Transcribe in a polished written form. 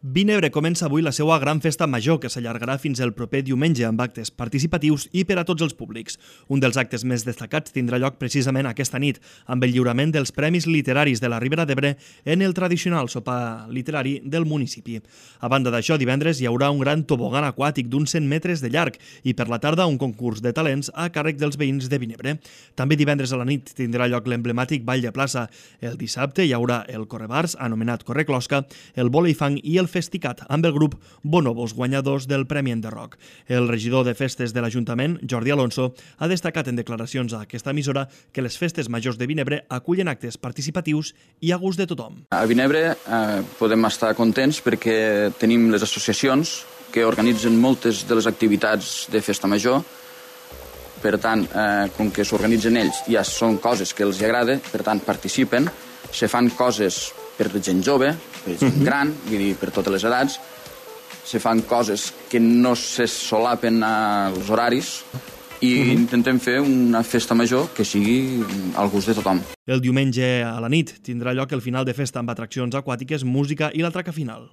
Vinebre comença avui la seva gran festa major, que s'allargarà fins el proper diumenge amb actes participatius i per a tots els públics. Un dels actes més destacats tindrà lloc precisament aquesta nit, amb el lliurament dels Premis Literaris de la Ribera d'Ebre en el tradicional sopar literari del municipi. A banda d'això, divendres hi haurà un gran tobogan aquàtic d'uns 100 metres de llarg i per la tarda un concurs de talents a càrrec dels veïns de Vinebre. També divendres a la nit tindrà lloc l'emblemàtic Ball de Plaça. El dissabte hi haurà el Correbars, anomenat Correclosca, el Voleifang i el Festicat, amb el grup Bonobos, guanyadors del Premi Enderroc. El regidor de Festes de l'Ajuntament, Jordi Alonso, ha destacat en declaracions a aquesta emissora que les festes majors de Vinebre acullen actes participatius i a gust de tothom. A Vinebre podem estar contents perquè tenim les associacions que organitzen moltes de les activitats de festa major. Per tant, com que s'organitzen ells, ja són coses que els agrada, per tant, participen, se fan coses per gent jove, per gent gran, vull dir, per totes les edats, se fan coses que no se solapen als horaris i intentem fer una festa major que sigui al gust de tothom. El diumenge a la nit tindrà lloc el final de festa amb atraccions aquàtiques, música i l'atraca final.